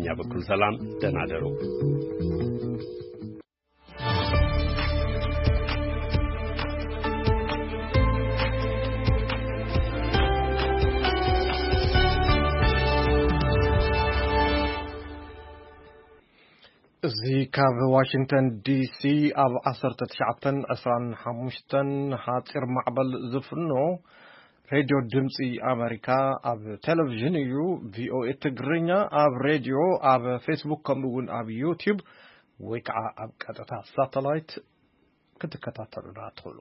እኛ በኩል ሰላም፣ ደህና ደሩ። እዚ ካብ ዋሽንግተን ዲሲ ኣብ ዓሰርተ ትሽዓተን ዕስራን ሓሙሽተን ሓጺር ማዕበል ዝፍኖ ሬድዮ ድምጺ ኣመሪካ ኣብ ቴሌቪዥን እዩ። ቪኦኤ ትግርኛ ኣብ ሬድዮ፣ ኣብ ፌስቡክ፣ ከምኡ እውን ኣብ ዩቲዩብ ወይ ከዓ ኣብ ቀጥታ ሳተላይት ክትከታተሉና ትኽእሉ።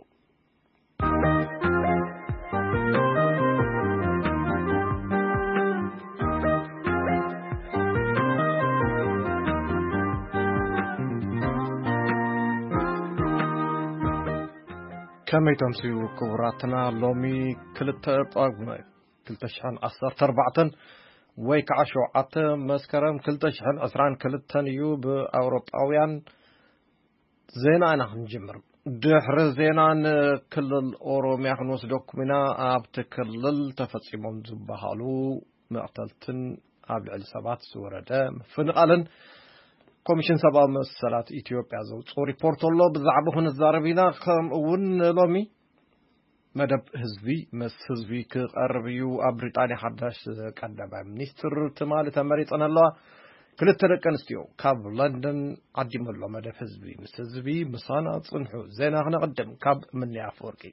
ከመይ ተምስዩ ክቡራትና? ሎሚ ክልተ ጳጉመ ክልተ ሽሕን ዓሰርተ ኣርባዕተን ወይ ከዓ ሸውዓተ መስከረም ክልተ ሽሕን ዕስራን ክልተን እዩ ብኣውሮጳውያን። ዜና ኢና ክንጅምር። ድሕሪ ዜና ንክልል ኦሮሚያ ክንወስደኩም ኢና። ኣብቲ ክልል ተፈጺሞም ዝበሃሉ መቕተልትን ኣብ ልዕሊ ሰባት ዝወረደ ምፍንቓልን ኮሚሽን ሰብኣዊ መሰላት ኢትዮጵያ ዘውፅኦ ሪፖርት ኣሎ። ብዛዕባ ክንዛረብ ኢና። ከምኡ እውን ሎሚ መደብ ህዝቢ ምስ ህዝቢ ክቐርብ እዩ። ኣብ ብሪጣንያ ሓዳሽ ቀዳማይ ሚኒስትር ትማሊ ተመሪጸን ኣለዋ። ክልተ ደቂ ኣንስትዮ ካብ ለንደን ዓዲመሎ መደብ ህዝቢ ምስ ህዝቢ ምሳና ጽንሑ። ዜና ክነቕድም ካብ ምንያ ኣፈወርቂ።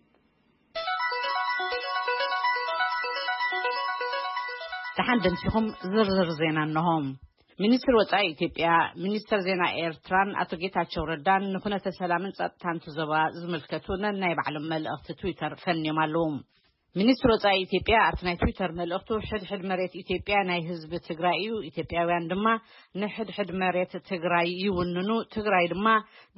ደሓን ደምሲኹም ዝርዝር ዜና እነሆ። ሚኒስትር ወጻኢ ኢትዮጵያ፣ ሚኒስትር ዜና ኤርትራን ኣቶ ጌታቸው ረዳን ንኩነተ ሰላምን ጸጥታን እቲ ዞባ ዝምልከቱ ነናይ ባዕሎም መልእኽቲ ትዊተር ፈንዮም ኣለዉ። ሚኒስትር ወጻኢ ኢትዮጵያ ኣብቲ ናይ ትዊተር መልእኽቱ፣ ሕድሕድ መሬት ኢትዮጵያ ናይ ህዝቢ ትግራይ እዩ፣ ኢትዮጵያውያን ድማ ንሕድሕድ መሬት ትግራይ ይውንኑ፣ ትግራይ ድማ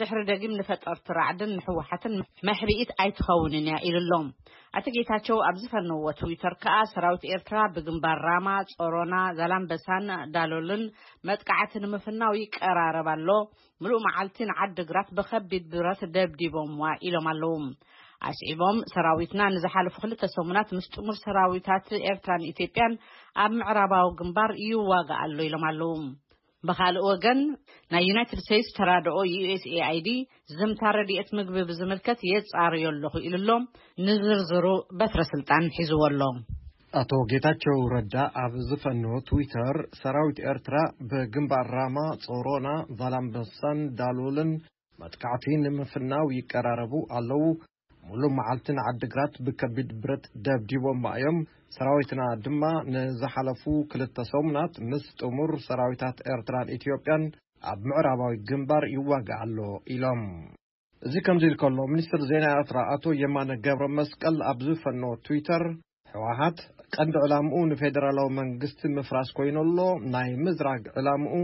ድሕሪ ደጊም ንፈጠርቲ ራዕድን ንህወሓትን መሕብኢት ኣይትኸውንን እያ ኢሉ ኣሎ። ኣቶ ጌታቸው ኣብ ዝፈነዎ ትዊተር ከኣ፣ ሰራዊት ኤርትራ ብግንባር ራማ፣ ጾሮና፣ ዛላምበሳን ዳሎልን መጥቃዕቲ ንምፍናው ይቀራረብ ኣሎ፣ ምሉእ መዓልቲ ንዓዲግራት ብኸቢድ ብረት ደብዲቦምዋ ኢሎም ኣለዉ። ኣስዒቦም፣ ሰራዊትና ንዝሓለፉ ክልተ ሰሙናት ምስ ጥሙር ሰራዊታት ኤርትራን ኢትዮጵያን ኣብ ምዕራባዊ ግንባር ይዋጋእ ኣሎ ኢሎም ኣለዉ። ብኻልእ ወገን፣ ናይ ዩናይትድ ስቴትስ ተራድኦ ዩ ኤስ ኤ ኣይ ዲ ዝምታ ረድኤት ምግቢ ብዝምልከት የጻርዮ ኣለኹ ኢሉ ኣሎ። ንዝርዝሩ በትረ ስልጣን ሒዝዎ ኣሎ። ኣቶ ጌታቸው ረዳ ኣብ ዝፈነዎ ትዊተር፣ ሰራዊት ኤርትራ ብግንባር ራማ፣ ጾሮና፣ ዛላምበሳን ዳሎልን መጥቃዕቲ ንምፍናው ይቀራረቡ ኣለዉ። ሙሉእ መዓልቲ ንዓዲግራት ብከቢድ ብረት ደብዲቦማ እዮም። ሰራዊትና ድማ ንዝሓለፉ ክልተ ሰሙናት ምስ ጥሙር ሰራዊታት ኤርትራን ኢትዮጵያን ኣብ ምዕራባዊ ግንባር ይዋጋእ ኣሎ ኢሎም። እዚ ከምዚ ኢሉ ከሎ፣ ሚኒስትር ዜና ኤርትራ ኣቶ የማነ ገብረ መስቀል ኣብ ዝፈነዎ ትዊተር፣ ህወሓት ቀንዲ ዕላምኡ ንፌደራላዊ መንግስቲ ምፍራስ ኮይኑ ኣሎ። ናይ ምዝራግ ዕላምኡ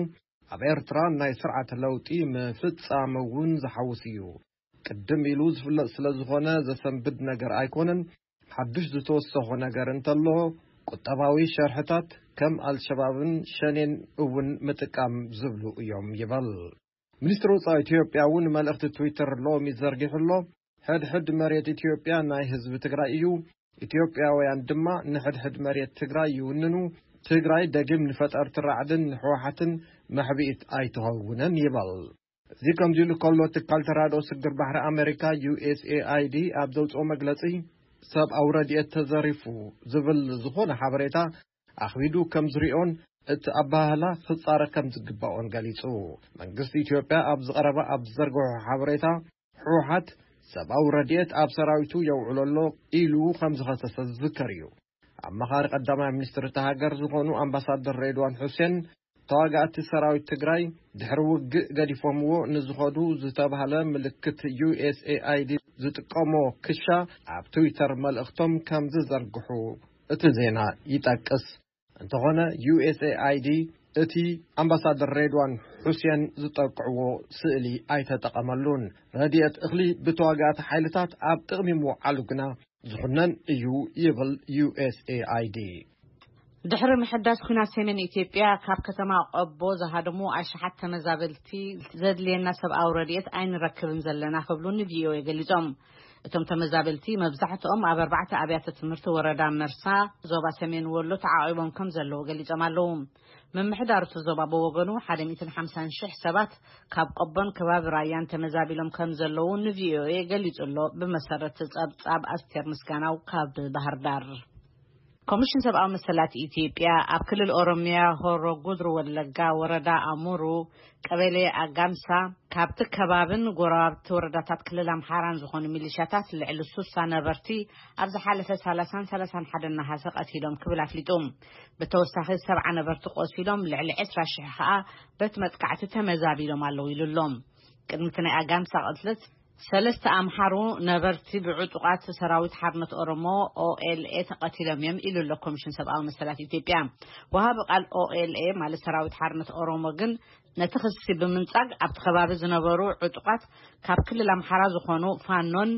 ኣብ ኤርትራ ናይ ስርዓት ለውጢ ምፍጻም እውን ዝሓውስ እዩ። ቅድም ኢሉ ዝፍለጥ ስለ ዝኾነ ዘሰንብድ ነገር ኣይኮነን። ሓዱሽ ዝተወሰኾ ነገር እንተሎ፣ ቁጠባዊ ሸርሕታት ከም ኣልሸባብን ሸኔን እውን ምጥቃም ዝብሉ እዮም ይበል። ሚኒስትሪ ወጻኢ ኢትዮጵያ እውን መልእኽቲ ትዊተር ሎሚ ዘርጊሑ ኣሎ። ሕድሕድ መሬት ኢትዮጵያ ናይ ህዝቢ ትግራይ እዩ፣ ኢትዮጵያውያን ድማ ንሕድሕድ መሬት ትግራይ ይውንኑ። ትግራይ ደጊም ንፈጠርቲ ራዕድን ንህወሓትን መሕብኢት ኣይትኸውንን ይበል። እዚ ከምዚ ኢሉ ከሎ፣ ትካል ተራድኦ ስግር ባሕሪ ኣሜሪካ ዩ ኤስ ኤ ኣይ ዲ ኣብ ዘውፅኦ መግለፂ፣ ሰብኣዊ ረድኤት ተዘሪፉ ዝብል ዝኾነ ሓበሬታ ኣኽቢዱ ከም ዝሪኦን እቲ ኣባህላ ክጻረ ከም ዝግባኦን ገሊጹ። መንግስቲ ኢትዮጵያ ኣብ ዝቐረበ ኣብ ዝዘርግሖ ሓበሬታ፣ ህወሓት ሰብኣዊ ረድኤት ኣብ ሰራዊቱ የውዕሎ ኣሎ ኢሉ ከም ዝኸሰሰ ዝዝከር እዩ። ኣማኻሪ ቀዳማይ ሚኒስትር እታ ሃገር ዝኾኑ ኣምባሳደር ሬድዋን ሑሴን፣ ተዋጋእቲ ሰራዊት ትግራይ ድሕሪ ውግእ ገዲፎምዎ ንዝኸዱ ዝተባህለ ምልክት ዩ ኤስ ኤ ኣይ ዲ ዝጥቀሞ ክሻ ኣብ ትዊተር መልእኽቶም ከም ዝዘርግሑ እቲ ዜና ይጠቅስ። እንተኾነ፣ ዩ ኤስ ኤ ኣይ ዲ እቲ ኣምባሳደር ሬድዋን ሑሴን ዝጠቅዕዎ ስእሊ ኣይተጠቐመሉን። ረድኤት እኽሊ ብተዋጋእቲ ሓይልታት ኣብ ጥቕሚ ምውዓሉ ግና ዝኹነን እዩ ይብል ዩ ኤስ ኤ ኣይ ዲ። ድሕሪ ምሕዳስ ኲናት ሰሜን ኢትዮጵያ፣ ካብ ከተማ ቆቦ ዝሃደሙ ኣሽሓት ተመዛበልቲ፣ ዘድልየና ሰብኣዊ ረድኤት ኣይንረክብን ዘለና ክብሉ ን ቪ ኦ ኤ ገሊጾም። እቶም ተመዛበልቲ መብዛሕትኦም ኣብ ኣርባዕተ ኣብያተ ትምህርቲ ወረዳ መርሳ፣ ዞባ ሰሜን ወሎ ተዓቒቦም ከም ዘለዉ ገሊጾም ኣለዉ። ምምሕዳር እቲ ዞባ ብወገኑ፣ ሓደ ሚእትን ሓምሳን ሽሕ ሰባት ካብ ቆቦን ከባቢ ራያን ተመዛቢሎም ከም ዘለዉ ንቪኦኤ ገሊጹ ኣሎ። ብመሰረት ጸብጻብ ኣስቴር ምስጋናው ካብ ባህር ዳር። ኮሚሽን ሰብኣዊ መሰላት ኢትዮጵያ፣ ኣብ ክልል ኦሮሚያ ሆሮ ጉድሩ ወለጋ ወረዳ ኣሙሩ ቀበሌ ኣጋምሳ፣ ካብቲ ከባብን ጎረባብቲ ወረዳታት ክልል ኣምሓራን ዝኾኑ ሚሊሻታት ልዕሊ ሱሳ ነበርቲ ኣብ ዝሓለፈ ሰላሳን ሰላሳን ሓደን ነሓሰ ቀቲሎም ክብል ኣፍሊጡ። ብተወሳኺ ሰብዓ ነበርቲ ቆሲሎም፣ ልዕሊ ዕስራ ሽሕ ከኣ በቲ መጥቃዕቲ ተመዛቢሎም ኣለዉ ኢሉ ኣሎ። ቅድሚ እቲ ናይ ኣጋምሳ ቅትለት፣ ሰለስተ ኣምሓሩ ነበርቲ ብዕጡቓት ሰራዊት ሓርነት ኦሮሞ፣ ኦኤልኤ፣ ተቐቲሎም እዮም ኢሉ ኣሎ ኮሚሽን ሰብኣዊ መሰላት ኢትዮጵያ። ወሃቢ ቃል ኦኤልኤ፣ ማለት ሰራዊት ሓርነት ኦሮሞ፣ ግን ነቲ ክሲ ብምንጻግ፣ ኣብቲ ከባቢ ዝነበሩ ዕጡቓት ካብ ክልል ኣምሓራ ዝኾኑ ፋኖን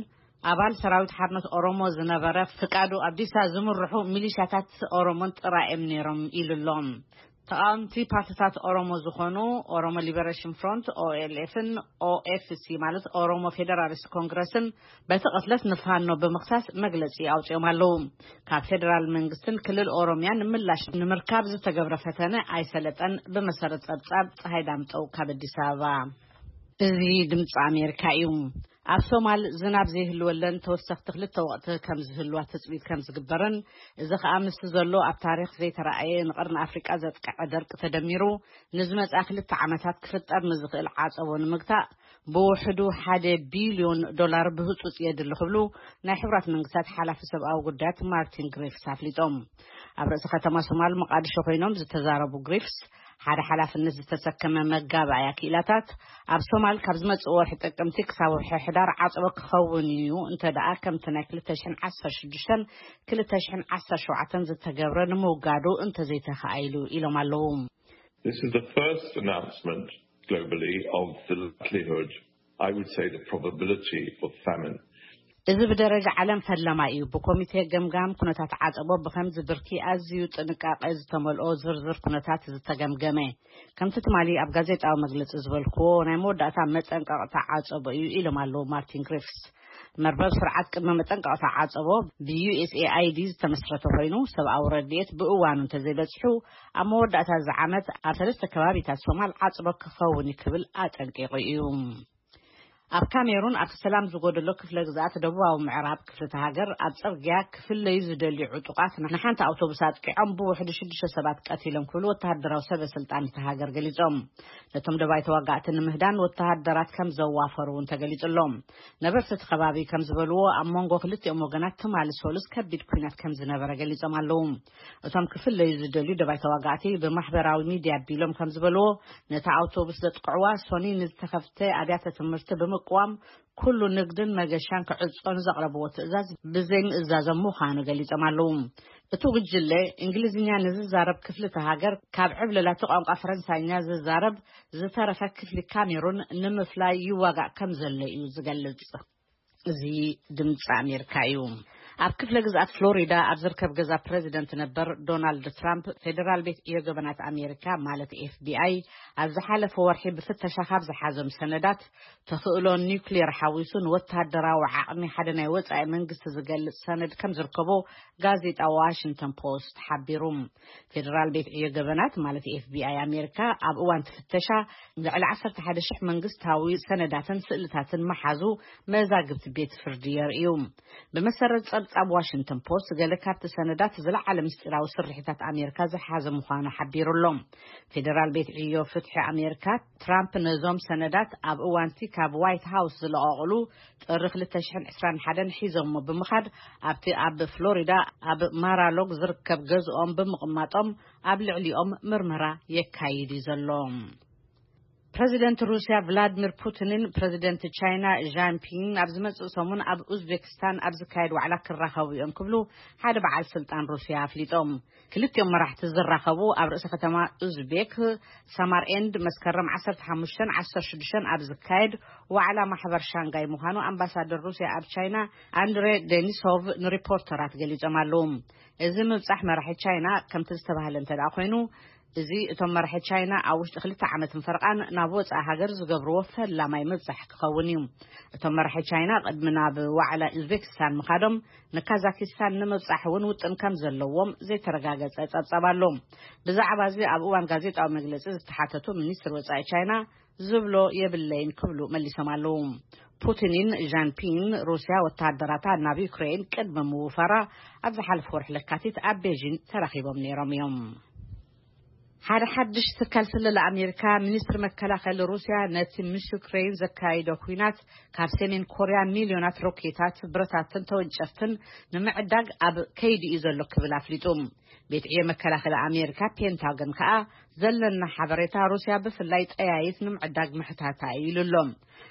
ኣባል ሰራዊት ሓርነት ኦሮሞ ዝነበረ ፍቃዱ ኣብዲሳ ዝምርሑ ሚሊሻታት ኦሮሞን ጥራይ እዮም ነይሮም ኢሉ ኣሎ። ተቃወምቲ ፓርቲታት ኦሮሞ ዝኾኑ ኦሮሞ ሊበሬሽን ፍሮንት፣ ኦኤልኤፍን፣ ኦኤፍሲ፣ ማለት ኦሮሞ ፌደራሊስት ኮንግረስን፣ በቲ ቅትለት ንፋኖ ብምኽሳስ መግለጺ ኣውጺኦም ኣለዉ። ካብ ፌደራል መንግስትን ክልል ኦሮሚያን ምላሽ ንምርካብ ዝተገብረ ፈተነ ኣይሰለጠን። ብመሰረት ጸብጻብ ጸሃይ ዳምጠው ካብ ኣዲስ ኣበባ። እዚ ድምፂ ኣሜሪካ እዩ። ኣብ ሶማል ዝናብ ዘይህልወለን ተወሰኽቲ ክልተ ወቕቲ ከም ዝህልዋ ትፅቢት ከም ዝግበርን፣ እዚ ኸኣ ምስቲ ዘሎ ኣብ ታሪኽ ዘይተረኣየ ንቐርኒ ኣፍሪቃ ዘጥቅዐ ደርቂ ተደሚሩ ንዝመጽኣ ክልተ ዓመታት ክፍጠር ንዝኽእል ዓጸቦ ንምግታእ ብውሕዱ ሓደ ቢልዮን ዶላር ብህጹጽ የድሊ ክብሉ ናይ ሕቡራት መንግስታት ሓላፊ ሰብኣዊ ጉዳያት ማርቲን ግሪፍስ ኣፍሊጦም። ኣብ ርእሲ ከተማ ሶማል መቃድሾ ኮይኖም ዝተዛረቡ ግሪፍስ፣ ሓደ ሓላፍነት ዝተሰከመ መጋባእያ ክኢላታት ኣብ ሶማል ካብ ዝመጽእ ወርሒ ጥቅምቲ ክሳብ ወርሒ ሕዳር ዓጸቦ ክኸውን እዩ፣ እንተ ደኣ ከምቲ ናይ ክልተ ሽሕን ዓሰርተ ሽዱሽተን ክልተ ሽሕን ዓሰርተ ሸውዓተን ዝተገብረ ንምውጋዱ እንተዘይተኻኢሉ ኢሎም ኣለዉ። This is the first announcement globally of the likelihood, I would say the probability of famine. እዚ ብደረጃ ዓለም ፈለማ እዩ። ብኮሚቴ ገምጋም ኩነታት ዓጸቦ ብኸምዚ ብርኪ ኣዝዩ ጥንቃቐ ዝተመልኦ ዝርዝር ኩነታት ዝተገምገመ። ከምቲ ትማሊ ኣብ ጋዜጣዊ መግለጺ ዝበልክዎ፣ ናይ መወዳእታ መጠንቀቕታ ዓጸቦ እዩ ኢሎም ኣለዉ ማርቲን ግሪፍስ። መርበብ ስርዓት ቅድመ መጠንቀቕታ ዓጸቦ ብዩኤስኤኣይዲ ዝተመስረተ ኮይኑ፣ ሰብኣዊ ረድኤት ብእዋኑ እንተዘይበጽሑ፣ ኣብ መወዳእታ እዚ ዓመት ኣብ ሰለስተ ከባቢታት ሶማል ዓጸቦ ክኸውን እዩ ክብል ኣጠንቂቑ እዩ። ኣብ ካሜሩን፣ ኣብቲ ሰላም ዝጎደሎ ክፍለ ግዝኣት ደቡባዊ ምዕራብ ክፍልቲ ሃገር፣ ኣብ ጽርግያ ክፍለዩ ዝደልዩ ዕጡቓት ንሓንቲ ኣውቶቡስ ኣጥቂዖም ብውሕዱ ሽዱሽተ ሰባት ቀቲሎም ክብሉ ወተሃደራዊ ሰበ ስልጣን እቲ ሃገር ገሊጾም። ነቶም ደባይ ተዋጋእቲ ንምህዳን ወተሃደራት ከም ዘዋፈሩ እውን ተገሊጹ ኣሎ። ነበርቲ እቲ ከባቢ ከም ዝበልዎ፣ ኣብ መንጎ ክልቲኦም ወገናት ትማሊ ሶሉስ ከቢድ ኲናት ከም ዝነበረ ገሊጾም ኣለዉ። እቶም ክፍለዩ ዝደልዩ ደባይ ተዋጋእቲ ብማሕበራዊ ሚድያ ኣቢሎም ከም ዝበልዎ፣ ነታ ኣውቶቡስ ዘጥቅዕዋ ሶኒ ንዝተኸፍተ ኣብያተ ትምህርቲ ብምቅዋም፣ ኩሉ ንግድን መገሻን ክዕጾ ንዘቕረብዎ ትእዛዝ ብዘይምእዛዞም ምዃኑ ገሊጾም ኣለዉ። እቲ ጉጅለ፣ እንግሊዝኛ ንዝዛረብ ክፍሊ እቲ ሃገር፣ ካብ ዕብለላቲ ቋንቋ ፈረንሳይኛ ዝዛረብ ዝተረፈ ክፍሊ ካሜሩን ንምፍላይ ይዋጋእ ከም ዘሎ እዩ ዝገልጽ። እዚ ድምፂ ኣሜሪካ እዩ። ኣብ ክፍለ ግዝኣት ፍሎሪዳ ኣብ ዝርከብ ገዛ ፕሬዚደንት ነበር ዶናልድ ትራምፕ፣ ፌዴራል ቤት ዕዮ ገበናት ኣሜሪካ፣ ማለት ኤፍቢኣይ፣ ኣብ ዝሓለፈ ወርሒ ብፍተሻ ካብ ዝሓዞም ሰነዳት፣ ተኽእሎ ኒውክሌር ሓዊሱ ንወተሃደራዊ ዓቕሚ ሓደ ናይ ወጻኢ መንግስቲ ዝገልጽ ሰነድ ከም ዝርከቦ ጋዜጣ ዋሽንግተን ፖስት ሓቢሩ። ፌዴራል ቤት ዕዮ ገበናት፣ ማለት ኤፍቢኣይ ኣሜሪካ፣ ኣብ እዋን እቲ ፍተሻ ልዕሊ ዓሰርተ ሓደ ሽሕ መንግስታዊ ሰነዳትን ስእልታትን መሓዙ መዛግብቲ ቤት ፍርዲ የርእዩ። ብመሰረት ጸብጻብ ዋሽንግተን ፖስት፣ ገለ ካብቲ ሰነዳት ዝለዓለ ምስጢራዊ ስርሒታት ኣሜሪካ ዝሓዘ ምዃኑ ሓቢሩ ኣሎ። ፌዴራል ቤት ዕዮ ፍትሒ ኣሜሪካ፣ ትራምፕ ነዞም ሰነዳት ኣብ እዋንቲ ካብ ዋይት ሃውስ ዝለቐቑሉ ጥሪ ክልተ ሽሕን ዕስራን ሓደን ሒዞሞ ብምኻድ፣ ኣብቲ ኣብ ፍሎሪዳ ኣብ ማራሎግ ዝርከብ ገዝኦም ብምቕማጦም ኣብ ልዕሊኦም ምርመራ የካይድ እዩ ዘሎ። ፕረዚደንት ሩስያ ቭላድሚር ፑቲንን ፕረዚደንት ቻይና ዣንፒንግን ኣብ ዝመጽእ ሰሙን ኣብ ኡዝቤክስታን ኣብ ዝካየድ ዋዕላ ክራኸቡ እዮም ክብሉ ሓደ በዓል ስልጣን ሩስያ ኣፍሊጦም። ክልቲኦም መራሕቲ ዝራኸቡ ኣብ ርእሰ ከተማ ኡዝቤክ ሳማርኤንድ መስከረም ዓሰርተ ሓሙሽተን ዓሰርተ ሽዱሽተን ኣብ ዝካየድ ዋዕላ ማሕበር ሻንጋይ ምዃኑ ኣምባሳደር ሩስያ ኣብ ቻይና ኣንድሬ ዴኒሶቭ ንሪፖርተራት ገሊጾም ኣለዉ። እዚ ምብጻሕ መራሒ ቻይና ከምቲ ዝተባህለ እንተ ደኣ ኮይኑ፣ እዚ እቶም መራሒ ቻይና ኣብ ውሽጢ ክልተ ዓመትን ፈረቓን ናብ ወጻኢ ሃገር ዝገብርዎ ፈላማይ ምብጻሕ ክኸውን እዩ። እቶም መራሒ ቻይና ቅድሚ ናብ ዋዕላ ኡዝቤክስታን ምኻዶም፣ ንካዛኪስታን ንምብጻሕ እውን ውጥን ከም ዘለዎም ዘይተረጋገጸ ጸብጻብ ኣሎ። ብዛዕባ እዚ ኣብ እዋን ጋዜጣዊ መግለጺ ዝተሓተቱ ሚኒስትር ወጻኢ ቻይና፣ ዝብሎ የብለይን ክብሉ መሊሶም ኣለዉ። ፑቲንን ዣንፒን ሩስያ ወተሃደራታ ናብ ዩክሬን ቅድሚ ምውፋራ ኣብ ዝሓለፈ ወርሒ ለካቲት ኣብ ቤጂን ተራኺቦም ነይሮም እዮም። ሓደ ሓድሽ ትካል ስለላ ኣሜሪካ፣ ሚኒስትሪ መከላኸሊ ሩስያ ነቲ ምስ ዩክሬን ዘካይዶ ኲናት ካብ ሰሜን ኮርያ ሚልዮናት ሮኬታት፣ ብረታትን ተወንጨፍትን ንምዕዳግ ኣብ ከይዲ እዩ ዘሎ ክብል ኣፍሊጡ። ቤት ዕዮ መከላኸሊ ኣሜሪካ ፔንታጎን ከኣ፣ ዘለና ሓበሬታ ሩስያ ብፍላይ ጠያይት ንምዕዳግ ምሕታታ እዩ ኢሉ ኣሎ።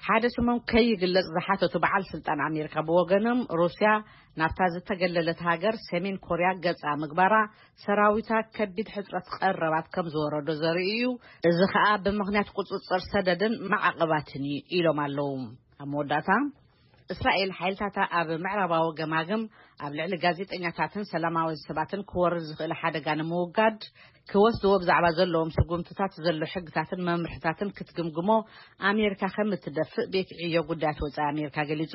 ሓደ ስሞም ከይግለጽ ዝሓተቱ በዓል ስልጣን ኣሜሪካ ብወገኖም፣ ሩስያ ናብታ ዝተገለለት ሃገር ሰሜን ኮርያ ገጻ ምግባራ፣ ሰራዊታ ከቢድ ሕጽረት ቀረባት ከም ዝወረዶ ዘርኢ እዩ። እዚ ከኣ ብምኽንያት ቁጽጽር ሰደድን ማዕቐባትን እዩ ኢሎም ኣለዉ። ኣብ መወዳእታ፣ እስራኤል ሓይልታታ ኣብ ምዕራባዊ ገማግም ኣብ ልዕሊ ጋዜጠኛታትን ሰላማውያን ሰባትን ክወርድ ዝኽእል ሓደጋ ንምውጋድ ክወስድዎ ብዛዕባ ዘለዎም ስጉምትታት ዘሎ ሕግታትን መምርሕታትን ክትግምግሞ ኣሜሪካ ከም እትደፍእ ቤት ዕዮ ጉዳያት ወጻኢ ኣሜሪካ ገሊጹ።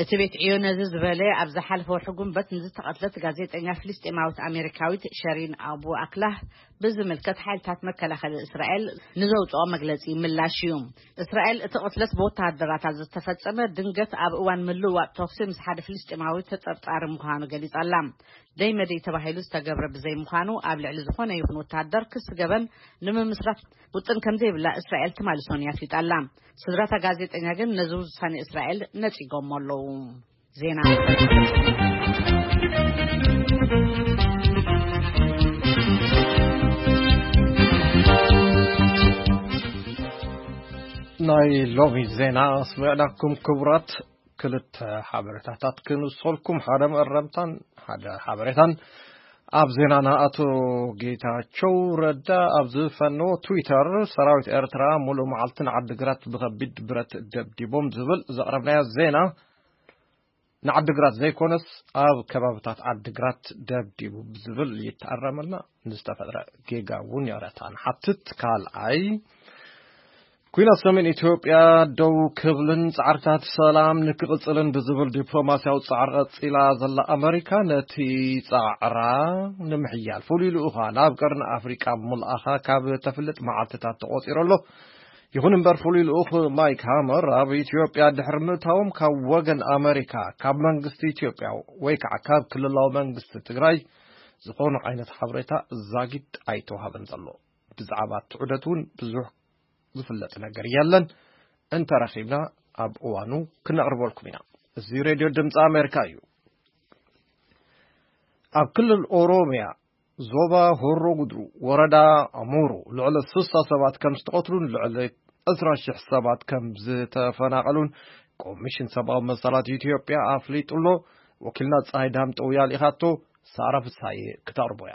እቲ ቤት ዕዮ ነዚ ዝበለ፣ ኣብ ዝሓለፈ ወርሒ ጉንበት ንዝተቐትለት ጋዜጠኛ ፍልስጤማዊት ኣሜሪካዊት ሸሪን ኣቡ ኣክላህ ብዝምልከት ሓይልታት መከላኸሊ እስራኤል ንዘውጽኦ መግለጺ ምላሽ እዩ። እስራኤል እቲ ቅትለት ብወተሃደራታ ዝተፈጸመ ድንገት ኣብ እዋን ምልውዋጥ ተኹሲ ምስ ሓደ ፍልስጤማዊ ተጠርጣሪ ምዃኑ ገሊጻ ኣላ። ደይ መደይ ተባሂሉ ዝተገብረ ብዘይምዃኑ ኣብ ልዕሊ ዝኾነ ይኹን ወተሃደር ክሲ ገበን ንምምስራት ውጥን ከም ዘይብላ እስራኤል ትማሊ ሰኑይ ኣፍሊጣ ኣላ። ስድራታ ጋዜጠኛ ግን ነዚ ውሳኔ እስራኤል ነጺጎሞ ኣለዉ። ዜና ናይ ሎሚ ዜና ኣስሚዕናኩም። ክቡራት፣ ክልተ ሓበሬታታት ክንውሰልኩም፣ ሓደ መእረምታን ሓደ ሓበሬታን። ኣብ ዜናና፣ ኣቶ ጌታቸው ረዳ ኣብ ዝፈነዎ ትዊተር፣ ሰራዊት ኤርትራ ሙሉእ መዓልቲ ንዓዲግራት ብኸቢድ ብረት ደብዲቦም ዝብል ዘቕረብናዮ ዜና፣ ንዓዲግራት ዘይኮነስ ኣብ ከባብታት ዓዲግራት ደብዲቡ ብዝብል ይተኣረመልና። ንዝተፈጥረ ጌጋ እውን ይቕረታ ንሓትት። ካልኣይ፣ ኲናት ሰሜን ኢትዮጵያ ደው ክብልን ጻዕርታት ሰላም ንክቕጽልን ብዝብል ዲፕሎማስያዊ ጻዕሪ ቀጺላ ዘላ ኣመሪካ፣ ነቲ ጻዕራ ንምሕያል ፍሉይ ልኡኻ ናብ ቀርኒ ኣፍሪቃ ምልኣኻ ካብ ተፍልጥ መዓልትታት ተቖጺሩ ኣሎ። ይኹን እምበር፣ ፍሉይ ልኡኽ ማይክ ሃመር ኣብ ኢትዮጵያ ድሕሪ ምእታዎም፣ ካብ ወገን ኣመሪካ፣ ካብ መንግስቲ ኢትዮጵያ ወይ ከዓ ካብ ክልላዊ መንግስቲ ትግራይ ዝኾነ ዓይነት ሓበሬታ ዛጊድ ኣይተዋሃበን ዘሎ። ብዛዕባ እቲ ዑደት እውን ብዙሕ ዝፍለጥ ነገር የለን። እንተረኺብና ኣብ እዋኑ ክነቕርበልኩም ኢና። እዚ ሬድዮ ድምፂ ኣሜሪካ እዩ። ኣብ ክልል ኦሮሚያ ዞባ ሆሮ ጉድሩ ወረዳ ኣሙሩ ልዕሊ ስሳ ሰባት ከም ዝተቐትሉን ልዕሊ ዕስራ ሽሕ ሰባት ከም ዝተፈናቐሉን ኮሚሽን ሰብኣዊ መሰላት ኢትዮጵያ ኣፍሊጡ ኣሎ። ወኪልና ፀሃይ ዳምጠው ያልኢኻቶ፣ ሳራ ፍሳዬ ክተቕርቦ እያ።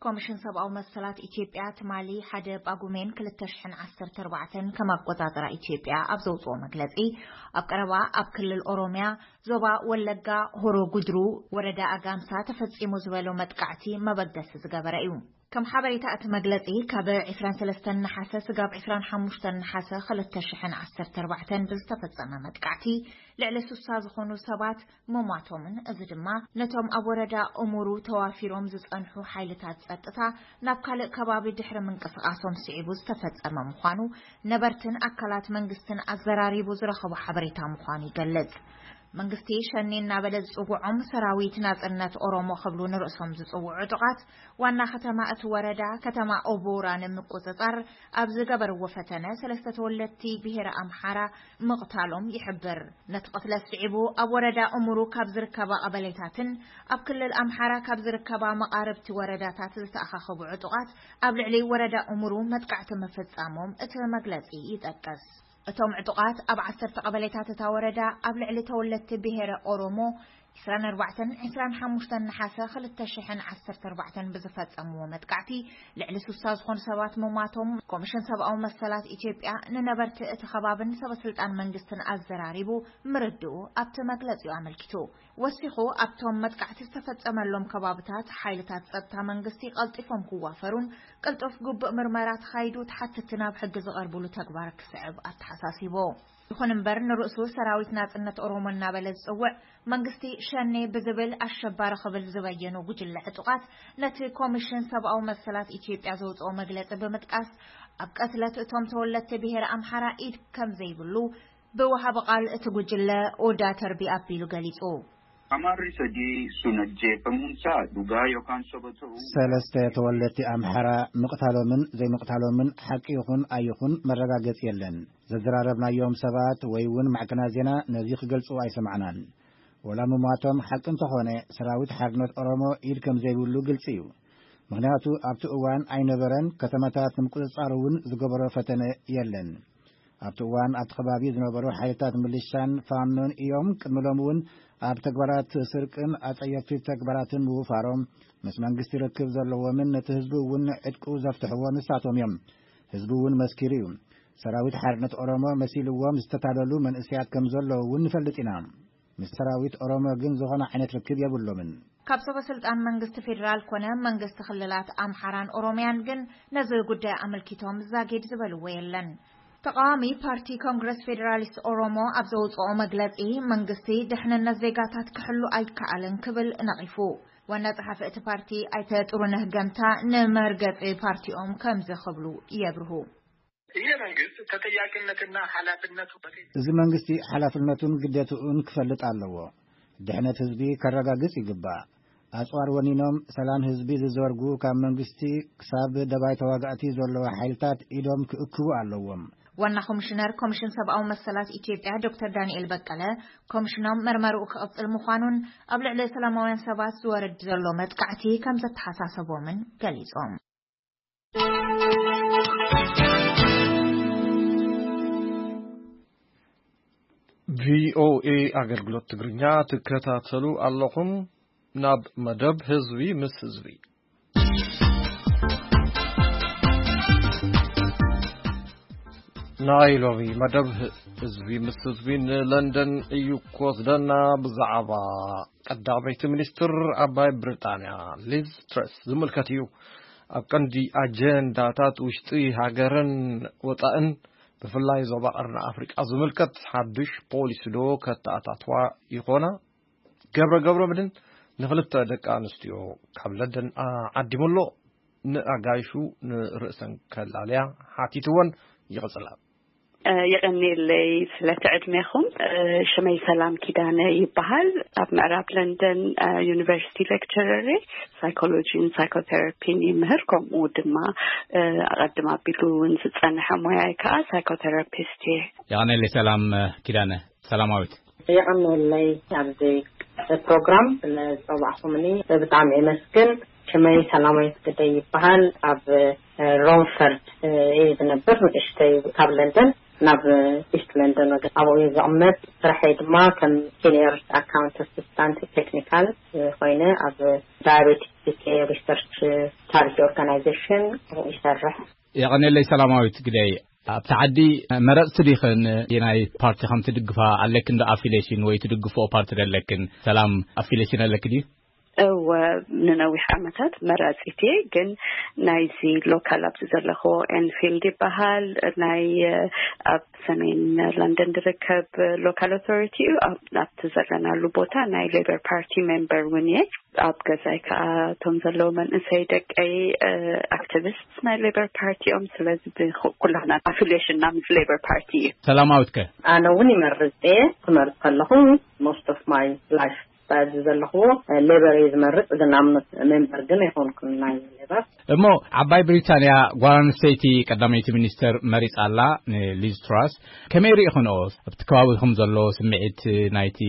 ኮሚሽን ሰብኣዊ መሰላት ኢትዮጵያ ትማሊ ሓደ ጳጉሜን ክልተ ሽሕን ዓሰርተ ኣርባዕተን ከም ኣቆጻጽራ ኢትዮጵያ ኣብ ዘውጽኦ መግለጺ፣ ኣብ ቀረባ ኣብ ክልል ኦሮሚያ ዞባ ወለጋ ሆሮ ጉድሩ ወረዳ ኣጋምሳ ተፈጺሙ ዝበሎ መጥቃዕቲ መበገሲ ዝገበረ እዩ። ከም ሓበሬታ እቲ መግለጺ፣ ካብ ዕስራን ሰለስተን ነሓሰ ስጋብ ዕስራን ሓሙሽተን ነሓሰ ክልተ ሽሕን ዓሰርተ ኣርባዕተን ብዝተፈጸመ መጥቃዕቲ ልዕሊ ስሳ ዝኾኑ ሰባት ምሟቶምን፣ እዚ ድማ ነቶም ኣብ ወረዳ እሙሩ ተዋፊሮም ዝጸንሑ ሓይልታት ጸጥታ ናብ ካልእ ከባቢ ድሕሪ ምንቅስቓሶም ስዒቡ ዝተፈጸመ ምዃኑ ነበርትን ኣካላት መንግስትን ኣዘራሪቡ ዝረኸቦ ሓበሬታ ምዃኑ ይገልጽ። መንግስቲ ሸኔ እናበለ ዝጽውዖም ሰራዊት ናጽነት ኦሮሞ ክብሉ ንርእሶም ዝጽውዑ ዕጡቓት ዋና ከተማ እቲ ወረዳ ከተማ ኦቦራ ንምቁጽጻር ኣብ ዝገበርዎ ፈተነ ሰለስተ ተወለድቲ ብሄረ ኣምሓራ ምቕታሎም ይሕብር። ነቲ ቅትለት ስዒቡ ኣብ ወረዳ እሙሩ ካብ ዝርከባ ቀበሌታትን ኣብ ክልል ኣምሓራ ካብ ዝርከባ መቓርብቲ ወረዳታት ዝተኣኻኸቡ ዕጡቓት ኣብ ልዕሊ ወረዳ እሙሩ መጥቃዕቲ ምፍጻሞም እቲ መግለጺ ይጠቅስ። እቶም ዕጡቓት ኣብ ዓሰርተ ቀበሌታት እታ ወረዳ ኣብ ልዕሊ ተወለድቲ ብሄረ ኦሮሞ ዕስራን ኣርባዕተን ዕስራን ሓሙሽተን ነሓሰ ክልተ ሽሕን ዓሰርተ ኣርባዕተን ብዝፈጸምዎ መጥቃዕቲ ልዕሊ ስሳ ዝኾኑ ሰባት ምሟቶም ኮሚሽን ሰብኣዊ መሰላት ኢትዮጵያ ንነበርቲ እቲ ከባብን ሰበስልጣን መንግስትን ኣዘራሪቡ ምርድኡ ኣብቲ መግለጺኡ ኣመልኪቱ። ወሲኹ ኣብቶም መጥቃዕቲ ዝተፈጸመሎም ከባብታት ሓይልታት ጸጥታ መንግስቲ ቀልጢፎም ክዋፈሩን ቅልጡፍ ግቡእ ምርመራ ተኻይዱ ተሓተትቲ ናብ ሕጊ ዝቐርብሉ ተግባር ክስዕብ ኣተሓሳሲቡ። ይኹን እምበር ንርእሱ ሰራዊት ናጽነት ኦሮሞ እናበለ ዝጽውዕ መንግስቲ ሸኔ ብዝብል ኣሸባሪ ክብል ዝበየኑ ጉጅለ ዕጡቓት ነቲ ኮሚሽን ሰብኣዊ መሰላት ኢትዮጵያ ዘውፅኦ መግለጺ ብምጥቃስ ኣብ ቀትለት እቶም ተወለድቲ ብሄረ ኣምሓራ ኢድ ከም ዘይብሉ ብወሃቢ ቃል እቲ ጉጅለ ኦዳ ተርቢ ኣቢሉ ገሊጹ። Amarri sadii sun ajjeefamuunsaa dhugaa yookaan soba ta'uu ሰለስተ ተወለድቲ ኣምሓራ ምቕታሎምን ዘይምቕታሎምን ሓቂ ይኹን ኣይኹን መረጋገጺ የለን። ዘዘራረብናዮም ሰባት ወይ እውን ማዕከናት ዜና ነዚ ክገልጹ ኣይሰማዕናን። ወላ ምሟቶም ሓቂ እንተኾነ ሰራዊት ሓርነት ኦሮሞ ኢድ ከም ዘይብሉ ግልጺ እዩ። ምኽንያቱ ኣብቲ እዋን ኣይነበረን፣ ከተማታት ንምቁጽጻር እውን ዝገበሮ ፈተነ የለን። ኣብቲ እዋን ኣብቲ ከባቢ ዝነበሩ ሓይልታት ምልሻን ፋኖን እዮም። ቅድሚ ሎም እውን ኣብ ተግባራት ስርቅን ኣጸየፍቲ ተግባራትን ምውፋሮም ምስ መንግስቲ ርክብ ዘለዎምን ነቲ ህዝቢ እውን ዕጥቁ ዘፍትሕዎ ንሳቶም እዮም። ህዝቢ እውን መስኪሩ እዩ። ሰራዊት ሓርነት ኦሮሞ መሲልዎም ዝተታለሉ መንእሰያት ከም ዘለዉ እውን ንፈልጥ ኢና። ምስ ሰራዊት ኦሮሞ ግን ዝኾነ ዓይነት ርክብ የብሎምን። ካብ ሰበ ስልጣን መንግስቲ ፌዴራል ኮነ መንግስቲ ክልላት ኣምሓራን ኦሮሚያን ግን ነዚ ጉዳይ ኣመልኪቶም ዛጊድ ዝበልዎ የለን። ተቃዋሚ ፓርቲ ኮንግረስ ፌዴራሊስት ኦሮሞ ኣብ ዘውፅኦ መግለፂ መንግስቲ ድሕንነት ዜጋታት ክሕሉ ኣይከኣልን ክብል ነቒፉ። ዋና ጸሓፊ እቲ ፓርቲ ኣይተ ጥሩነህ ገምታ ንመርገጺ ፓርቲኦም ከምዚ ክብሉ የብርሁ። ይህ መንግስት ተጠያቂነትና ኃላፊነቱ በፊት እዚ መንግስቲ ሓላፍነቱን ግዴትኡን ክፈልጥ ኣለዎ። ድሕነት ህዝቢ ከረጋግጽ ይግባእ። ኣጽዋር ወኒኖም ሰላም ህዝቢ ዝዘርጉ ካብ መንግስቲ ክሳብ ደባይ ተዋጋእቲ ዘለዋ ሓይልታት ኢዶም ክእክቡ ኣለዎም። ዋና ኮሚሽነር ኮሚሽን ሰብኣዊ መሰላት ኢትዮጵያ ዶክተር ዳንኤል በቀለ ኮሚሽኖም መርመርኡ ክቕጽል ምዃኑን ኣብ ልዕሊ ሰላማውያን ሰባት ዝወርድ ዘሎ መጥቃዕቲ ከም ዘተሓሳሰቦምን ገሊጾም። ቪኦኤ ኣገልግሎት ትግርኛ ትከታተሉ ኣለኹም። ናብ መደብ ህዝቢ ምስ ህዝቢ። ናይ ሎሚ መደብ ህዝቢ ምስ ህዝቢ ንለንደን እዩ ክወስደና። ብዛዕባ ቀዳመይቲ ሚኒስትር ዓባይ ብሪጣንያ ሊዝ ትረስ ዝምልከት እዩ። ኣብ ቀንዲ ኣጀንዳታት ውሽጢ ሃገርን ወፃእን ብፍላይ ዞባ ቀርኒ ኣፍሪቃ ዝምልከት ሓዱሽ ፖሊሲ ዶ ከተኣታትዋ ይኾና? ገብረ ገብረ ምድን ንክልተ ደቂ ኣንስትዮ ካብ ለንደን ዓዲሙ ኣሎ። ንኣጋይሹ ንርእሰን ከላልያ ሓቲትወን። ይቕጽላ። የቐንየለይ ስለቲ ዕድሜኹም። ሽመይ ሰላም ኪዳነ ይበሃል። ኣብ ምዕራብ ለንደን ዩኒቨርሲቲ ሌክቸረር እየ። ሳይኮሎጂን ሳይኮቴራፒን ይምህር፣ ከምኡ ድማ ኣቐድም ኣቢሉ እውን ዝጸንሐ ሞያይ ከኣ ሳይኮቴራፒስት እየ። የቐንየለይ ሰላም ኪዳነ። ሰላማዊት። የቐንየለይ ኣብዚ ፕሮግራም ስለዝጸዋዕኹምኒ ብጣዕሚ የመስግን። ሽመይ ሰላማዊት ግደይ ይበሃል። ኣብ ሮምፈርድ እየ ዝነብር፣ ንእሽተይ ካብ ለንደን ናብ ኢስት ለንደን ወገን ኣብኡ እየ ዝቕመጥ። ስርሐይ ድማ ከም ሲኒየር ኣካውንት ኣሲስታንት ቴክኒካል ኮይነ ኣብ ዳያቤቲክ ሪሰርች ቻሪቲ ኦርጋናይዜሽን ይሰርሕ። የቐንየለይ ሰላማዊት ግደይ። ኣብቲ ዓዲ መረፅቲ ዲኽን? የናይ ፓርቲ ከም ትድግፋ ኣለክን ዶ ኣፊሌሽን ወይ ትድግፍኦ ፓርቲ ዶ ኣለክን? ሰላም ኣፊሌሽን ኣለክ ድዩ? እወ ንነዊሕ ዓመታት መራፂት እየ፣ ግን ናይዚ ሎካል ኣብዚ ዘለኽዎ ኤንፊልድ ይበሃል፣ ናይ ኣብ ሰሜን ለንደን ዝርከብ ሎካል ኣውቶሪቲ እዩ። ኣብቲ ዘለናሉ ቦታ ናይ ሌበር ፓርቲ ሜምበር እውን እየ። ኣብ ገዛይ ከዓ እቶም ዘለዉ መንእሰይ ደቀይ ኣክቲቪስት ናይ ሌበር ፓርቲ እዮም። ስለዚ ኩላና ኣፊሊሽንና ምስ ሌበር ፓርቲ እዩ። ሰላማዊት ከ? ኣነ እውን ይመርፅ እየ። ክመርፅ ከለኹ ሞስት ኦፍ ማይ ላይፍ ስታይል ዘለኽዎ ሌበር እየ ዝመርፅ፣ ግን ኣምኖት ሜምበር ግን ኣይኮንኩን ናይ ሌበር። እሞ ዓባይ ብሪታንያ ጓል ኣንስተይቲ ቀዳመይቲ ሚኒስተር መሪፃ ኣላ ንሊዝ ትራስ። ከመይ ርኢኽንኦ? ኣብቲ ከባቢኹም ዘሎ ስምዒት ናይቲ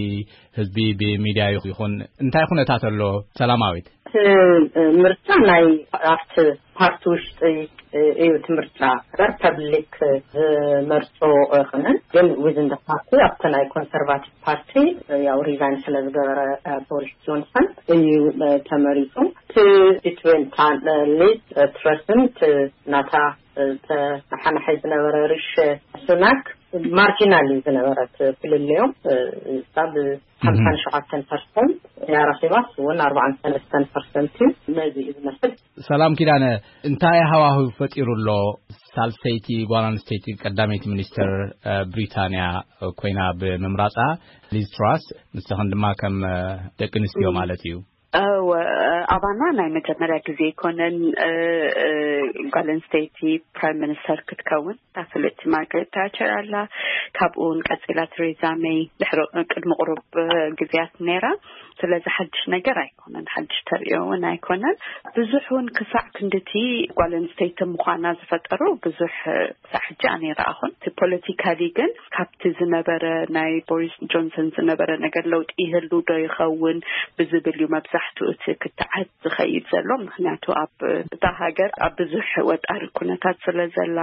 ህዝቢ ብሚድያ ይኹን እንታይ ኩነታት ኣሎ? ሰላማዊት። እቲ ምርጫ ናይ ኣብቲ ፓርቲ ውሽጢ እዩ ትምህርታ በር ፐብሊክ ዝመርጾ ይኹንን ግን ዊዝን ደ ፓርቲ ኣብቲ ናይ ኮንሰርቫቲቭ ፓርቲ ያው ሪዛይን ስለ ዝገበረ ቦሪስ ጆንሰን እዩ ተመሪጹ። እቲ ሊዝ ትረስን ናታ ተሓናሓይ ዝነበረ ሪሽ ሱናክ ማርጂናል እዩ ዝነበረት ፍልልዮም። ካብ ሓምሳን ሸውዓተን ፐርሰንት ያረኺባስ እውን ኣርባዓን ሰለስተን ፐርሰንት እዩ። ነዚ እዩ ዝመስል። ሰላም ኪዳነ፣ እንታይ ሃዋህው ፈጢሩ ኣሎ? ሳልሰይቲ ጓል ኣንስተይቲ ቀዳመይቲ ሚኒስትር ብሪታንያ ኮይና ብምምራፃ፣ ሊዝ ትራስ፣ ንስኽን ድማ ከም ደቂ ኣንስትዮ ማለት እዩ። እወ፣ ኣባና ናይ መጀመርያ ግዜ ኣይኮነን ጓል ኣንስተይቲ ፕራይም ሚኒስተር ክትከውን። እታ ፍልጥቲ ማርጋሬት ታቸር ኣላ። ካብኡ እውን ቀፂላ ቴሬዛ ሜይ ድሕሪ ቅድሚ ቁሩብ ግዜያት ነይራ። ስለዚ ሓድሽ ነገር ኣይኮነን፣ ሓድሽ ተርእዮ እውን ኣይኮነን። ብዙሕ እውን ክሳዕ ክንድቲ ጓል ኣንስተይቲ ምዃና ዝፈጠሩ ብዙሕ ክሳዕ ሕጂ ኣነ ይረኣኹን። እቲ ፖለቲካሊ ግን ካብቲ ዝነበረ ናይ ቦሪስ ጆንሰን ዝነበረ ነገር ለውጢ ይህሉ ዶ ይኸውን ብዝብል እዩ መብዛሕትኡ እቲ ክትዓት ዝኸይድ ዘሎ። ምኽንያቱ ኣብ እታ ሃገር ኣብ ብዙሕ ወጣሪ ኩነታት ስለ ዘላ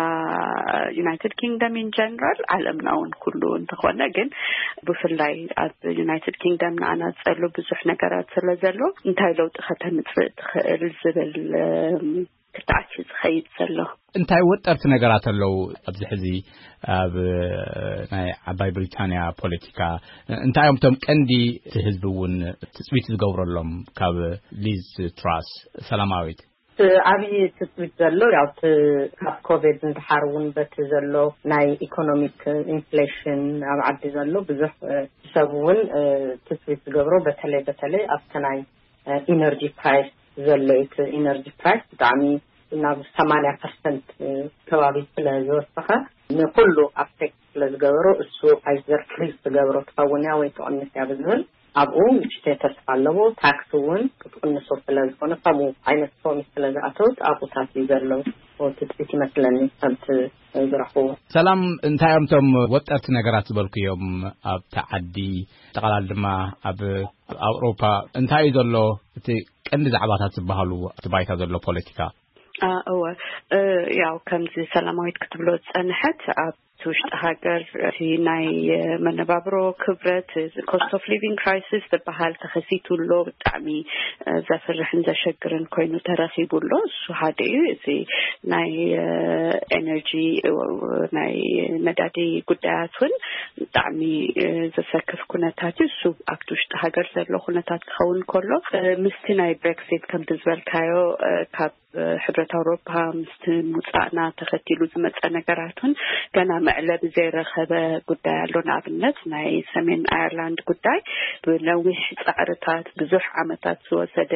ዩናይትድ ኪንግደም ኢን ጀነራል ዓለምና እውን ኩሉ እንተኾነ ግን ብፍላይ ኣብ ዩናይትድ ኪንግደም ንኣና ዝጸሉ ብዙሕ ነገራት ስለ ዘሎ እንታይ ለውጢ ከተምጽእ ትኽእል ዝብል ክትዓት እዩ ዝኸይድ ዘሎ። እንታይ ወጠርቲ ነገራት ኣለዉ ኣብዚ ሕዚ ኣብ ናይ ዓባይ ብሪታንያ ፖለቲካ? እንታይ እዮም እቶም ቀንዲ እቲ ህዝቢ እውን ትፅቢት ዝገብረሎም ካብ ሊዝ ትራስ? ሰላማዊት። ዓብዪ ትፅቢት ዘሎ ያው እቲ ካብ ኮቪድ ንድሓር እውን በቲ ዘሎ ናይ ኢኮኖሚክ ኢንፍሌሽን ኣብ ዓዲ ዘሎ ብዙሕ ሰብ እውን ትፅቢት ዝገብሮ በተለይ በተለይ ኣብቲ ናይ ኢነርጂ ፕራይስ ዘሎ እዩ። እቲ ኢነርጂ ፕራይስ ብጣዕሚ ናብ ሰማንያ ፐርሰንት ከባቢ ስለ ዝወሰኸ ንኩሉ ኣፌክት ስለ ዝገበሮ እሱ ኣይዘር ፍሪዝ ትገብሮ ትኸውን እያ ወይ ትቕንስ እያ ብዝብል ኣብኡ ንእሽተይ ተስፋ ኣለዎ። ታክስ እውን ክትቕንሶ ስለ ዝኾነ ከምኡ ዓይነት ፕሮሚስ ስለ ዝኣተወት ኣብኡታት እዩ ዘሎ ትፅቢት ይመስለኒ ከምቲ ዝረኽብዎ። ሰላም፣ እንታይ እዮም እቶም ወጠርቲ ነገራት ዝበልኩዮም ኣብቲ ዓዲ ጠቓላሊ ድማ ኣብ ኣውሮፓ እንታይ እዩ ዘሎ እቲ ቀንዲ ዛዕባታት ዝበሃሉ ኣብቲ ባይታ ዘሎ ፖለቲካ? እወ፣ ያው ከምዚ ሰላማዊት ክትብሎ ዝጸንሐት ኣብ ውሽጢ ሃገር እቲ ናይ መነባብሮ ክብረት ኮስት ኦፍ ሊቪንግ ክራይሲስ ዝበሃል ተኸሲቱ ኣሎ። ብጣዕሚ ዘፍርሕን ዘሸግርን ኮይኑ ተረኺቡ ኣሎ። እሱ ሓደ እዩ። እዚ ናይ ኤነርጂ ናይ ነዳዲ ጉዳያት እውን ብጣዕሚ ዘሰክፍ ኩነታት እዩ። እሱ ኣብቲ ውሽጢ ሃገር ዘሎ ኩነታት ክኸውን ከሎ ምስቲ ናይ ብሬክሲት ከምቲ ዝበልካዮ ካብ ሕብረት ኣውሮፓ ምስቲ ምውፃእና ተኸቲሉ ዝመፀ ነገራት እውን ገና መዕለቢ ዘይረኸበ ጉዳይ ኣሎ። ንኣብነት ናይ ሰሜን ኣየርላንድ ጉዳይ ብነዊሕ ፃዕርታት ብዙሕ ዓመታት ዝወሰደ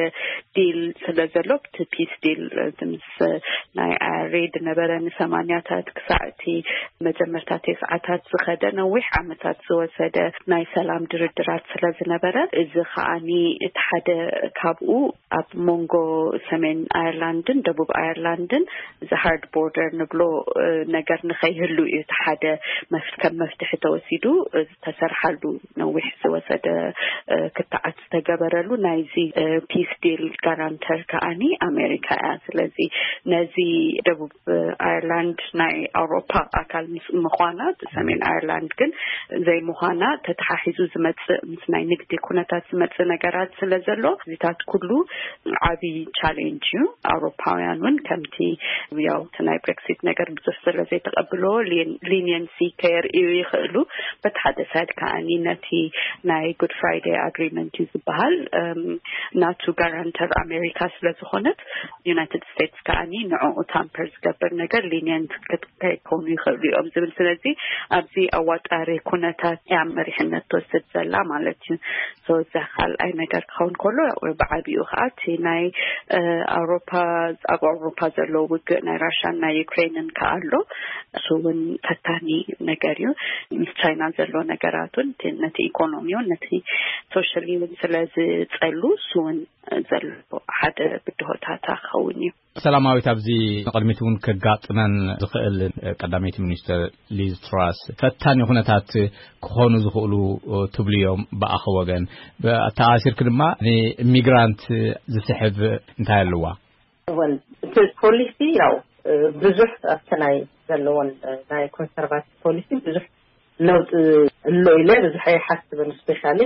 ዲል ስለ ዘሎ ብቲ ፒስ ዲል ምስ ናይ ኣያሬ ዝነበረ ንሰማንያታት ክሳዕ እቲ መጀመርታ ተስዓታት ዝኸደ ነዊሕ ዓመታት ዝወሰደ ናይ ሰላም ድርድራት ስለ ዝነበረ እዚ ከዓኒ እቲ ሓደ ካብኡ ኣብ መንጎ ሰሜን ኣየርላንድን ደቡብ ኣየርላንድን እዚ ሃርድ ቦርደር ንብሎ ነገር ንኸይህሉ እዩ እቲ ሓደ ከም መፍትሒ ተወሲዱ ዝተሰርሓሉ ነዊሕ ዝወሰደ ክትዓት ዝተገበረሉ ናይዚ ፒስ ዲል ጋራንተር ከዓኒ ኣሜሪካ እያ። ስለዚ ነዚ ደቡብ ኣየርላንድ ናይ ኣውሮፓ ኣካል ምስ ምዃና ሰሜን ኣየርላንድ ግን ዘይምዃና ተተሓሒዙ ዝመፅእ ምስ ናይ ንግዲ ኩነታት ዝመፅእ ነገራት ስለ ዘሎ እዚታት ኩሉ ዓብዪ ቻሌንጅ እዩ። ኣውሮፓውያን እውን ከምቲ ያው እቲ ናይ ብሬክሲት ነገር ብዙሕ ስለ ዘይተቐብሎ ሊኒየንሲ ከየርእዩ ይኽእሉ። በቲ ሓደ ሳይድ ከዓኒ ነቲ ናይ ጉድ ፍራይደይ ኣግሪመንት እዩ ዝበሃል ናቱ ጋራንተር ኣሜሪካ ስለ ዝኾነት ዩናይትድ ስቴትስ ከዓኒ ንዕኡ ታምፐር ዝገብር ነገር ሊኒየንት ከይኮኑ ይኽእሉ እዮም ዝብል። ስለዚ ኣብዚ ኣዋጣሪ ኩነታት እያ መሪሕነት ትወስድ ዘላ ማለት እዩ። እዚ ካልኣይ ነገር ክኸውን ከሎ ብዓቢኡ ከዓ እቲ ናይ ኣውሮፓ ኣብ ኣውሮፓ ዘሎ ውግእ ናይ ራሽያን ናይ ዩክሬንን ከዓ ኣሎ። እሱ እውን ፈታኒ ነገር እዩ። ምስ ቻይና ዘሎ ነገራት እውን ነቲ ኢኮኖሚ እውን ነቲ ሶሻሊ እውን ስለ ዝፀሉ እሱ እውን ዘሎ ሓደ ብድሆታት ክኸውን እዩ። ሰላማዊት፣ ኣብዚ ንቕድሚት እውን ከጋጥመን ዝኽእል ቀዳመይቲ ሚኒስትር ሊዝ ትራስ ፈታኒ ኩነታት ክኾኑ ዝኽእሉ ትብልዮም ብኣኸ ወገን ተኣሲርክ ድማ ንኢሚግራንት ዝስሕብ እንታይ ኣለዋ? ወል እቲ ፖሊሲ ያው ብዙሕ ኣብቲ ናይ ዘለዎን ናይ ኮንሰርቫቲቭ ፖሊሲ ብዙሕ ለውጢ ኣሎ ኢለ ብዙሕ ኣይሓስብን። ስፔሻሊ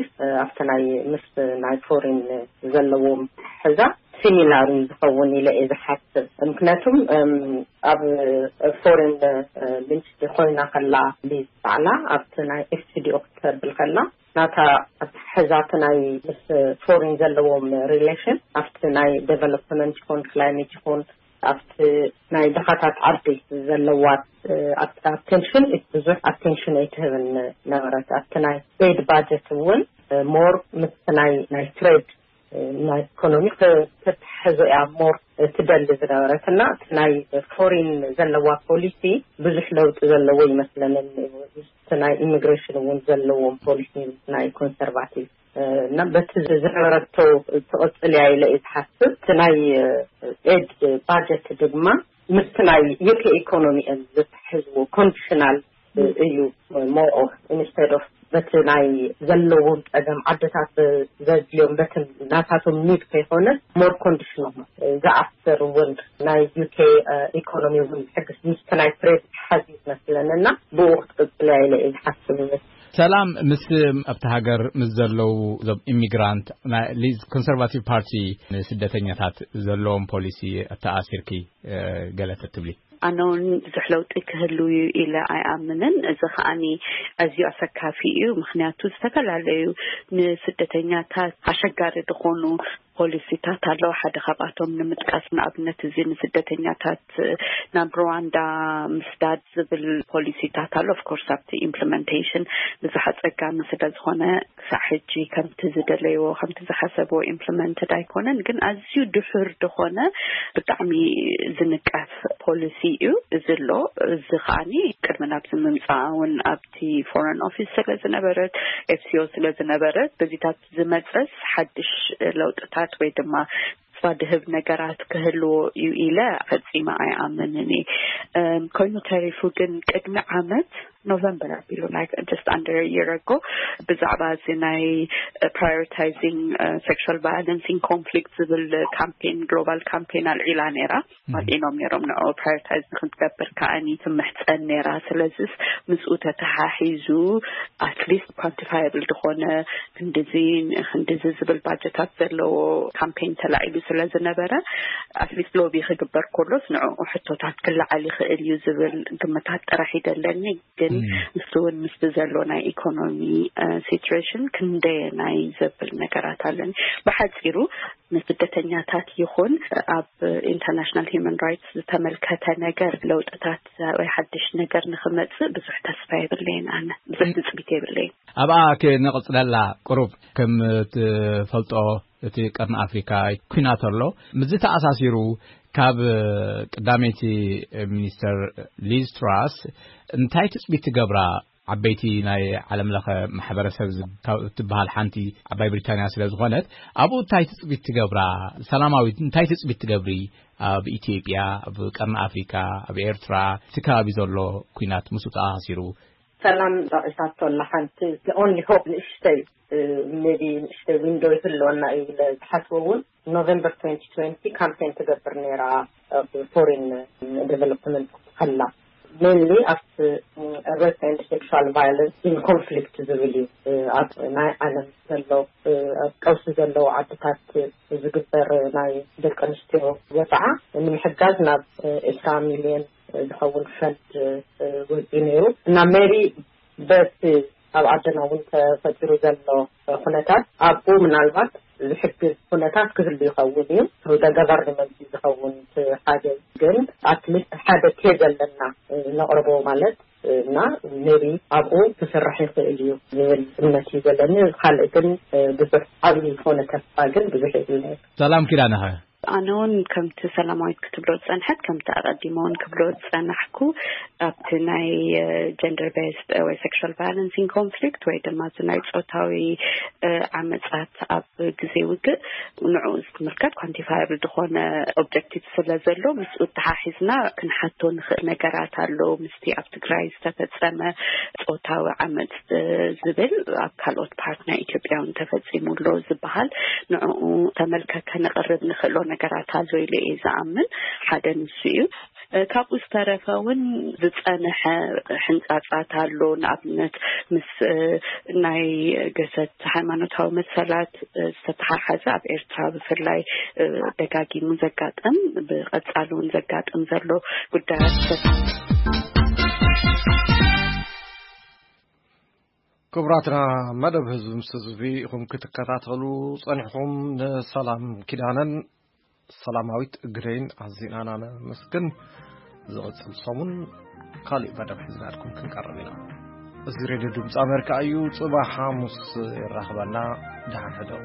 ኣብቲ ናይ ምስ ናይ ፎሪን ዘለዎም ሕዛ ሲሚላር ዝኸውን ኢለ እየ ዝሓስብ። ምክንያቱም ኣብ ፎሪን ሚኒስትሪ ኮይና ከላ ሊዝ ባዕላ ኣብቲ ናይ ኤፍሲዲኦ ክትብል ከላ ናታ ኣተሓሕዛቲ ናይ ምስ ፎሪን ዘለዎም ሪሌሽን ኣብቲ ናይ ዴቨሎፕመንት ይኹን ክላይሜት ይኹን ኣብቲ ናይ ድኻታት ዓዲ ዘለዋ ኣቴንሽን ብዙሕ ኣቴንሽን ኣይትህብን ነበረት። ኣብቲ ናይ ኤድ ባጀት እውን ሞር ምስ ናይ ናይ ትሬድ ናይ ኢኮኖሚ ክትሕዞ እያ ሞር ትደሊ ዝነበረት እና እቲ ናይ ፎሪን ዘለዋ ፖሊሲ ብዙሕ ለውጢ ዘለዎ ይመስለንን። እቲ ናይ ኢሚግሬሽን እውን ዘለዎም ፖሊሲ ናይ ኮንሰርቫቲቭ እና በቲ ዝነበረቶ ትቕፅል እያ ኢለ እየ ዝሓስብ። እቲ ናይ ኤድ ባጀት ድማ ምስቲ ናይ ዩኬ ኢኮኖሚ እዮም ዝትሕዝዎ። ኮንዲሽናል እዩ ሞር ኦፍ ኢንስቴድ ኦፍ በቲ ናይ ዘለዎም ፀገም ዓድታት ዘድልዮም በቲ ናታቶም ኒድ ከይኮነ ሞር ኮንዲሽናል ዝኣስር እውን ናይ ዩኬ ኢኮኖሚ እውን ሕግስ ምስቲ ናይ ትሬድ ሓዚ መስለንና ብኡ ክትቅፅል እያ ኢለ እየ ዝሓስብ። ሰላም፣ ምስ ኣብቲ ሃገር ምስ ዘለዉ ዞም ኢሚግራንት ናይ ሊዝ ኮንሰርቫቲቭ ፓርቲ ንስደተኛታት ዘለዎም ፖሊሲ ኣተኣሲርኪ ገለ ተትብሊ? ኣነ እውን ብዙሕ ለውጢ ክህሉ እዩ ኢለ ኣይኣምንን። እዚ ከዓኒ ኣዝዩ ኣሰካፊ እዩ። ምክንያቱ ዝተፈላለዩ ንስደተኛታት ኣሸጋሪ ዝኾኑ ፖሊሲታት ኣለዉ። ሓደ ካብኣቶም ንምጥቃስ ንኣብነት እዚ ንስደተኛታት ናብ ሩዋንዳ ምስዳድ ዝብል ፖሊሲታት ኣሎ። ኦፍኮርስ ኣብቲ ኢምፕሊመንቴሽን ብዙሕ ኣጸጋሚ ስለ ዝኾነ ክሳዕ ሕጂ ከምቲ ዝደለይዎ ከምቲ ዝሓሰብዎ ኢምፕሊመንትድ ኣይኮነን። ግን ኣዝዩ ድሑር ዝኾነ ብጣዕሚ ዝንቀፍ ፖሊሲ እዩ እዚ ኣሎ። እዚ ከዓኒ ቅድሚ ናብዚ ምምፃኣ እውን ኣብቲ ፎረን ኦፊስ ስለ ዝነበረት ኤፍሲኦ ስለ ዝነበረት በዚታት ዝመፀስ ሓድሽ ለውጥታት ወይ ድማ ተስፋ ድህብ ነገራት ክህልዎ እዩ ኢለ ፈፂመ ኣይኣምንን እየ። እም፣ ኮይኑ ተሪፉ ግን ቅድሚ ዓመት ኖቨምበር ኣቢሉ like just under a year ago ብዛዕባ እዚ ናይ prioritizing sexual violence in conflict ዝብል ካምፔን ግሎባል ካምፔን ኣልዒላ ነይራ። ኣልዒሎም ነይሮም ንዑ ፕራዮሪታይዝ ንክንገብር ከዓኒ ትምሕፀን ነይራ። ስለዚስ ምስኡ ተተሓሒዙ ኣትሊስት ኳንቲፋየብል ዝኾነ ክንድዚ ክንድዚ ዝብል ባጀታት ዘለዎ ካምፔን ተላዒሉ ስለ ዝነበረ ኣትሊስት ሎቢ ክግበር ከሎስ ንዕኡ ሕቶታት ክለዓል ይኽእል እዩ ዝብል ግምታት ጥራሕ ይደለኒ። ግን ንሱ እውን ምስቲ ዘሎ ናይ ኢኮኖሚ ሲትሬሽን ክንደየናይ ዘብል ነገራት ኣለኒ። ብሓፂሩ ንስደተኛታት ይኹን ኣብ ኢንተርናሽናል ሂውማን ራይትስ ዝተመልከተ ነገር ለውጥታት ወይ ሓድሽ ነገር ንክመፅእ ብዙሕ ተስፋ የብለይን። ኣነ ብዙሕ ትፅቢት የብለይን። ኣብኣ ክንቕፅለላ ቁሩብ ከም ትፈልጦ እቲ ቀርኒ ኣፍሪካ ኩናት ኣሎ። ምስዚ ተኣሳሲሩ ካብ ቀዳመይቲ ሚኒስተር ሊዝ ትራስ እንታይ ትፅቢት ትገብራ? ዓበይቲ ናይ ዓለም ለኸ ማሕበረሰብ ካብ እትበሃል ሓንቲ ዓባይ ብሪታንያ ስለ ዝኾነት ኣብኡ እንታይ ትፅቢት ትገብራ? ሰላማዊት እንታይ ትፅቢት ትገብሪ? ኣብ ኢትዮጵያ፣ ኣብ ቀርኒ ኣፍሪካ፣ ኣብ ኤርትራ እቲ ከባቢ ዘሎ ኩናት ምስኡ ተኣሳሲሩ ሰላም ጠቒሳቶ ኣላ። ሓንቲ the only hope ንእሽተይ ሜቢ ንእሽተይ ዊንዶ ይህልወና እዩ ኢለ ዝሓስቦ እውን ኖቨምበር twenty twenty ካምፔን ትገብር ነይራ ኣብ ፎሪን ዴቨሎፕመንት ከላ ሜንሊ ኣብቲ ሬፕ ኤንድ ሴክሹዋል ቫዮለንስ ኢን ኮንፍሊክት ዝብል እዩ። ኣብ ናይ ዓለም ዘሎ ኣብ ቀውሲ ዘለዎ ዓድታት ዝግበር ናይ ደቂ ኣንስትዮ ወፅዓ ንምሕጋዝ ናብ ዕስራ ሚልዮን ዝኸውን ፈንድ ወፂኡ ነይሩ እና ሜቢ በቲ ኣብ ዓድና እውን ተፈጢሩ ዘሎ ኩነታት ኣብኡ ምናልባት ዝሕግዝ ኩነታት ክህሉ ይኸውን እዩ። ደ ገቨርንመንት ዝኸውን ሓደ ግን ኣትሊስት ሓደ ኬዝ ኣለና ነቕርቦ ማለት እና ሜቢ ኣብኡ ክስራሕ ይኽእል እዩ ዝብል እምነት እዩ ዘለኒ። ካልእ ግን ብዙሕ ዓብዪ ዝኾነ ተስፋ ግን ብዙሕ የብለይ። ሰላም ኪዳነኸ? ኣነ እውን ከምቲ ሰላማዊት ክትብሎ ዝፀንሐት ከምቲ ኣቐዲመ እውን ክብሎ ዝፀናሕኩ ኣብቲ ናይ ጀንደር ቤስድ ወይ ሴክሹዋል ቫዮለንስ ኢን ኮንፍሊክት ወይ ድማ እዚ ናይ ፆታዊ ዓመፃት ኣብ ግዜ ውግእ ንዕኡ ዝትምልከት ኳንቲፋየብል ዝኾነ ኦብጀክቲቭ ስለ ዘሎ ምስኡ ተሓሒዝና ክንሓቶ ንኽእል ነገራት ኣሎ። ምስቲ ኣብ ትግራይ ዝተፈፀመ ፆታዊ ዓመፅ ዝብል ኣብ ካልኦት ፓርት ናይ ኢትዮጵያ እውን ተፈፂሙ ኣሎ ዝበሃል ንዕኡ ተመልከ ከነቕርብ ንኽእሎ ነገራት ኣሎ ኢለ እየ ዝኣምን። ሓደ ንሱ እዩ። ካብኡ ዝተረፈ እውን ዝፀንሐ ሕንፃፃት ኣሎ። ንኣብነት ምስ ናይ ገሰት ሃይማኖታዊ መሰላት ዝተተሓሓዘ ኣብ ኤርትራ ብፍላይ ደጋጊሙ ዘጋጥም፣ ብቐፃሊ እውን ዘጋጥም ዘሎ ጉዳያት ክቡራትና፣ መደብ ህዝቢ ምስ ህዝቢ ኢኹም ክትከታተሉ ጸኒሕኹም። ንሰላም ኪዳነን ሰላማዊት ግደይን ኣዚና ነመስግን። ዝቕጽል ሰሙን ካሊእ መደብ ሒዝናልኩም ክንቀርብ ኢና። እዚ ሬድዮ ድምፂ ኣሜሪካ እዩ። ጽባሕ ሓሙስ ይራኽበና። ደሓን ሕደሩ።